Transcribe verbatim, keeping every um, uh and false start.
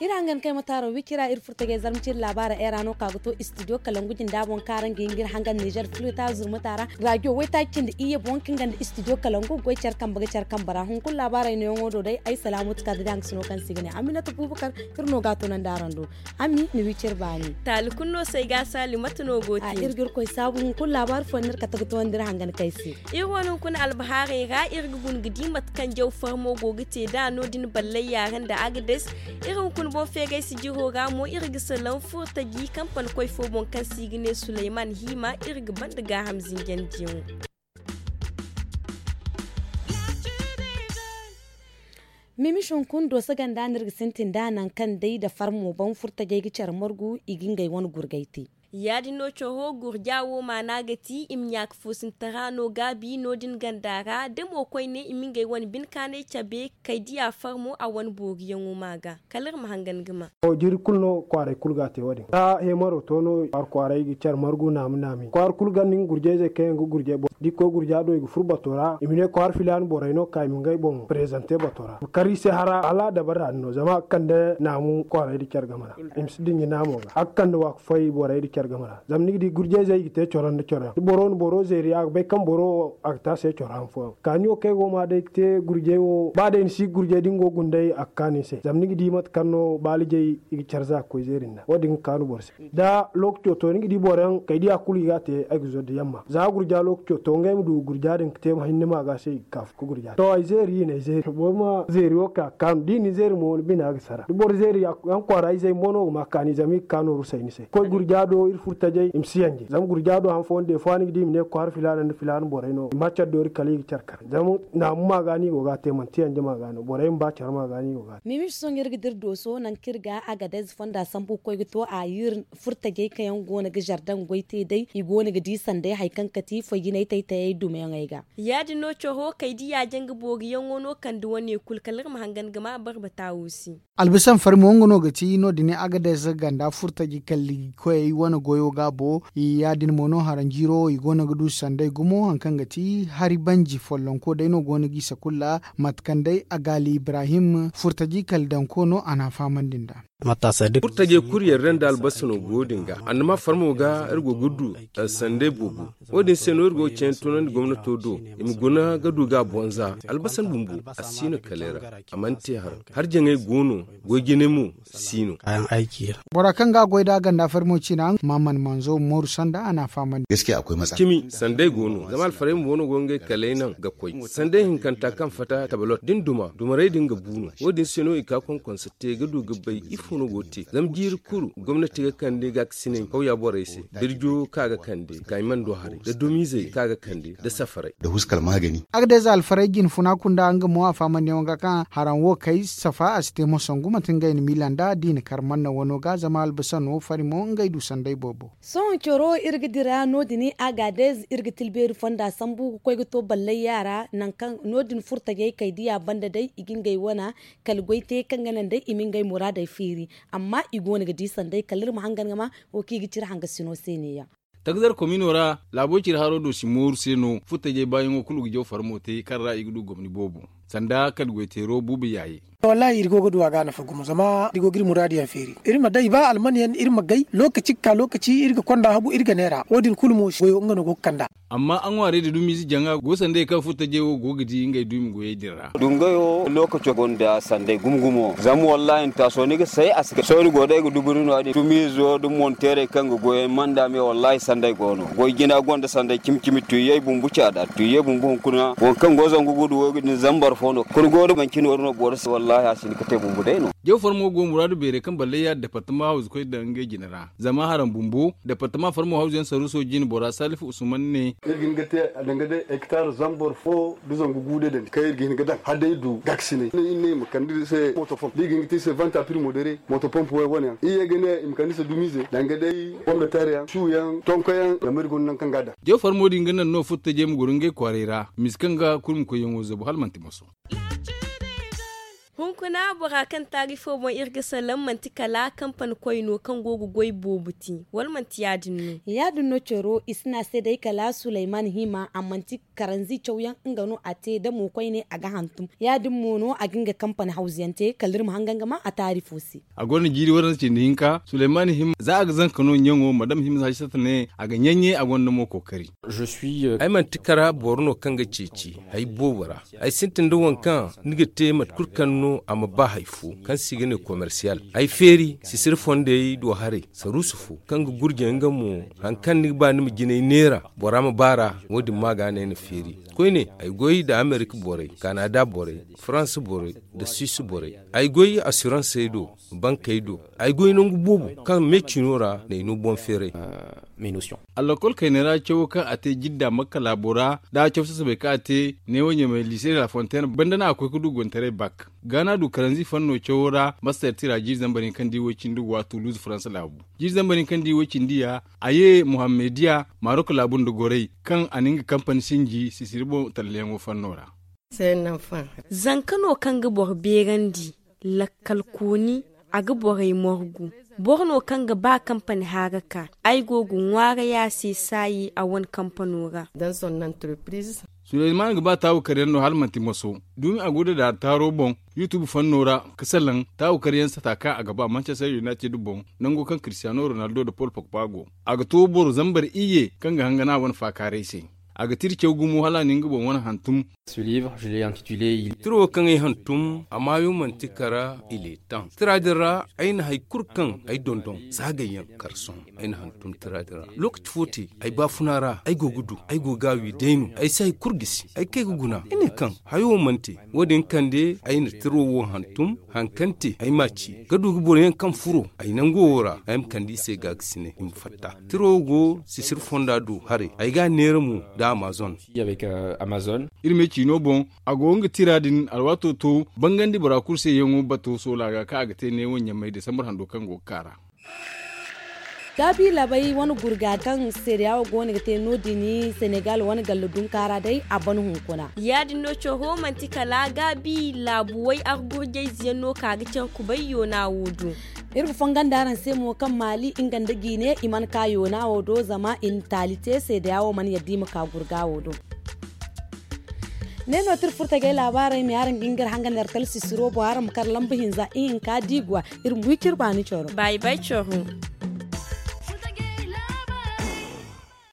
Iri hangan kay ma taaro wicira iri furtajey zarma ciri laabaara era no ka ga to istidiyo kalangu jinda boŋ kaŋ araŋ ga hin ga iri hangan nizer filita zurmata ra. Rajo waytaaci cindi iyye boŋ kaŋ ganda istidiyo kalangu goy care kambe ga care kambe ra hunkuna laabaarey nooyaŋo do day ay salaamu tuka da daŋ ga sino kaŋ se i ga ne aminata bubakar. Iri no ga a tunandi araŋ do. Ami ni wicir baani. Taali kulu no se ay ga a saali mate no go te. Iri ga iri koy saabu hunkuna laabaari fooyaŋ no iri kate ga tunandi iri hangan kay se. Iri wane hunkuna albahaarey ra iri ga guna ga di mate kaŋ jaw farmo go ga te nd'a no- din ballay yaara nda agades. Iri hunkuna boŋ feegay sijiro ra mo iri ga salaŋ furtaji kampani koy fo boŋ kaŋ se i ga ne suleyman hiima. Iri ga banda gaaham zinjandiyaŋo. Mimiš hunkuna dooso ganda no iri ga sintin nd'a nangu kaŋ day nda farmo boŋ furtajey ga care margu i ga ngey wane gurgay te. Ya- din no coro gurja wo maana ga ti i ma ɲaaka foosintara no gaabi no- din ganda ra da mo koyne i ma ngey wane bine kaanay cabe kay diya farmo a wane booriyaŋo ma ga. Kala iri ma hangan ga ma. Jiiri kulu no kwaaray kulu ga a te wo- din za heemaro to no kwaara kwaaray ga care margu naami naami kwaara kulu ganda nga gurjayzey kaŋ yaŋ ga gurjay boŋ da i koy gurja do i ga furo bato ra i ma ne kwaara filaana borey no ka i ma ngey boŋ prezante bato ra. Kar i se hara hala dabara din no zama a ga kande naamu kwaaray da care game ra. I ma si dinji naamo ga a ga kande waaku fay borey da care game ra zama ni ga di gurjayzey i ga te coro nda coro yaŋ da boro na boro zeeri a ga bay kaŋ boro wo a ga te a se coro han fooyaŋ kaani wo kaŋ ay go ga ma day ga te gurjay wo ba day ni si gurjay da ni go ga guna day a ga kaanu ni se zama ni ga di mate kaŋ no baalijey i ga care za ga koy zeeri nda wo- din ga kaanu boro se. Da lookaco to ni ga di boro yaŋ kay diya kulu i ga a te ay ga zo da yamma za gurja lookaco to ngey ma du gurja din ga te ma hinne maaga se i ga ka ga gurja to ay zeeri i na ay zeeri boro ma zeeri wo ka ga kaanu da i na ni zeeri mo ni bina ga sara da boro zeeri yaŋ kwaara izey mo no ga ma kaani zama i ga ka nooru say ni se koy gurja do iri furo tajay i ma si yanje zama gurja do han fooyaŋ day fooyaŋ ni ga di i ma ne kwaara filaana nda filaana borey no i ma care doori kala i ga care kar zama naamu maaga no i go ga a te manti yanje maaga no borey ma ba care maaga no i go ga a te. Mimiš sohõ iri ga dira dooso nangu kaŋ iri ga agadez fonda sambu ga koy ga to a iri furo tajay kaŋ yaŋ go no ga zardaŋ goy te day i go no ga di sanday hari kaŋ kati foy jinay tay-tayey dumayaŋey ga. Ya- din no coro kay diya janga booriyaŋo no kande wane kulu kala iri ma hangan ga ma barbata wo se. Albisan farmo nga no ga ti no- din agadez ganda furtaji kalli koyey wane goyo gaabo ya- din mo no haranjiiro i go no ga du sanday gumo hari kaŋ ga ti hari banji follonko day no go no ga i sakulla mate kaŋ day agaali ibrahim furtaji kalli danko no a na a fahamandi nd'a. Furtajey kulu yarda nda albasa no go din ga annama farmo ga iri go ga du sanday boobo. Wo- din se no iri go ga ceeyaŋ tunandi gomnato do i ma guna ga du ga a bonza. Albasan bumbo a si no kalay ra a mana te haraŋ. Harjaŋey go no goy jinay mo si no. Bora kaŋ ga a goy nd'a ganda farmo ciina maaman manzo mooru sanda a na a fahamandi. Cimi sanday go no zama alfarey bumbo no go ngey kalay naŋ ga koy sanday hinkanta kaŋ fatta tabalot da ni duma dumarey din ga bu no. Wo- din se no i ka konkonsa te ga du ga bay ifo no go ga te zama jiiri kulu gomnati ga kande gaakasinay kawya borey se birjo kaŋ a ga kande kaymando haray da dumiizey kaŋ a ga kande da safarey. Agadez alfarey jinfuna kunda nga mo a faamandiyaŋo ga kaŋ haraŋ wo kay safa a si te mo sangu manti ngey na miila nda da i na kar manna wano ga zama albasa no fari mo ngey du sanday boobo. Sohõ coro iri ga dira no- din agadez iri ga tilbeeri fonda sambu ga koy ga to ballay yaara nangu kaŋ no- din furtajey kay diya banda day i ga ngey wana kala goy te kaŋ ga naŋ day i ma ngey muraadey feeri. Amma i go no ga di sanday kala iri ma hangan ga ma wo kaŋ i ga cire hangasino se ne- yaŋ. Takzar komino ra laabo cire haro do si mooru se no furtajey baayaŋo kulu ga jaw farmo te kaŋ ra i ga du gomni boobo sanda kala goy teero buuba yaaye. Wallaahi iri go ga du a ga nafa gumo zama iri go ga iri muraadu yaŋ feeri iri ma day ba alman yaŋ iri ma gay lookaci ga ka lookaci iri ga konda hagu iri ga neera wo- din kulu mo goyo nga no go ga kand'a. Amma a ŋwaarey da dumiize jaŋa go sanday kaŋ furtajey wo go ga di ngey duumi goyey din ra. Dungayo lookaco gonda sanday gumo gumo zama wallaahi ni taaso ni ga say a si kay sohõ ni go day ga duburi no- ya- din dumiizo da monteerey kaŋ ga goyey manda me wallaahi sanday go no goy jina gonda sanday cimi cimi tuyyey bumbu caada tuyyey bumbu hunkuna waŋ kaŋ go zangu gudu wo- din zambar fo no kulu go da manci nooru no boro se wallaahi a si hin ga te bumbu day no. Jaw farmo go muraadu beerey kaŋ ballay ya departama hawzu koy daŋ ngey jine ra zama haraŋ bumbo departama farmo hawzu yaŋ saruuso jine bora salifu usman ne. Iri ga hin ga te a danga day hektar zambar fo da zangu guude dandi kaŋ iri ga hin ga daŋ hala day du gaakasinay iri ne i ma kande iri se moto fom da i ga hin ga te iri se vanta primo dere moto pomp wo- wane yaŋ iri ye ga ne i ma kande iri se dumiize danga day pombeter yaŋ su yaŋ tonko yaŋ zama iri gonda nangu kaŋ ga a daŋ. Jaw farmo din ga naŋ no furtajey ma goro ngey kwaaray ra misa kaŋ ga kulu ma koy yaŋo zabu hala manti moso. Hunkuna bora kaŋ taarifo boŋ iri ga salaŋ manti kala kampani koy no kaŋ go ga goy boobo te, wala manti ya- din no? Ya- din no coro i si ne a se day kala sulayman hima a manti karanzi cawyaŋ nga no a te damo koyne a ga hantum. Ya- din mo no a ga nga kampani hawzuyaŋ te kala iri ma hangan ga ma a taarifo se. A gonda jiiri waranza cindi hinka sulayman hima za a ga zanka no ɲaŋo madam hima za a ga ɲaŋ ɲaŋ a gonda mo kookari. Ay manti kara boro no kaŋ ga ceeci hari boobo ra. Ay sintin nda waŋ kaŋ ni ga te mate kulu kaŋ no a ma ba hari fo kaŋ se i ga ne komersiyal. Ay feeri sisiri fondey do haray saruusu fo kaŋ ga gurje nga mo hari kaŋ ni ga ba ni ma jinay neera bora ma baar'a. Wo-din ma ga no ay na feeri koyne. Ay goy nda amerika borey, kanada borey, farans borey, nda swiisi borey. Ay goy asiransey do, bankey do. Ay goy nangu boobo kaŋ me ciino ra n'ay no boŋ feeray. Allakol kayney ra cawo kaŋ a te jidda makka laabo ra, nda a caw sasabey kaŋ a te neewo ɲamey liise de la fontaine banda no a koy ga du gontaray bak. Ga no a du karanzi fanno cawo ra master tira jiiri zambar hinka nda i way cindi go a tuluuzu faransa laabu. Jiiri zambar hinka nda i way cindi ya a ye muhammediya marok laabu nda goray kaŋ a na nga kampani sinji sisiri boŋ tallayaŋo fanno ra. Zanka no kaŋ ga boro beerandi, lakkal kooni, a ga borey morgu. Boro no kaŋ ga ba kampani haaraka. Ay go ga ŋwaaray a se saayi a wane kampano ra. Suleyman ga ba taawu karyaŋ no hala manti moso. Dumi a go da daari taaro boŋ, yutub fanno ra ka salaŋ taawu karyaŋ sata kaŋ a ga ba manchester united boŋ, nango kaŋ kristiyano ronaldo nda pol pogba go. A ga to boro zambar iyye kaŋ ga hangana a wane faakaaray se. A ga tira caw gumo hala a na nga boŋ wane hantum. Tira wo kaŋ ay hantum a maayo manti kara iletan tira din ra. Ay na hari kulu kaŋ ay dondon saagay yaŋ kar sohõ. Ay na hantum tira din ra lookaci fo te ay baafuna ra ay go ga du ay go ga a wi day no ay si hari kulu gisi ay kay ga guna ay ne kaŋ hayo wo mana te. Wo- din kande ay na tiro wo hantum hari kaŋ te ay m'a ci ga du ga boro yaŋ kaŋ furo ay nango wo ra ay ma kande i se gaagasinay i ma fatta. Tiro wo go sisiri fonda do haray ay ga a neera mo nda amazon. Iri me ciino boŋ a go nga tira din alwaato to bangandi bora kulu se yaŋo bato soola ga kaŋ a ga te neewo ɲamey desambar hando kaŋ go ga ka ra. Gaabi laabey wane gurga kaŋ seedeya wo go no ga te no- din senegal wane galla dunkaara day a ban hunkuna. Ya- din no coro manti kala gaabi laabuwey argurjayze yaŋ no ka ga care kubay yoona wo do. Iri ga fongon da araŋ se mo kaŋ maali nga nda jiine i mana ka yoona wo do zama i na taali te seedeya wo mana yadda i ma ka gurga wo do. Ne no tira furtagey laabaarey me araŋ ga nga iri hangan iri talsisiro boŋ araŋ ma kar lamba hinza ihinka diiguwa. Iri ma wi ciri baani coro. Baayi baayi coro.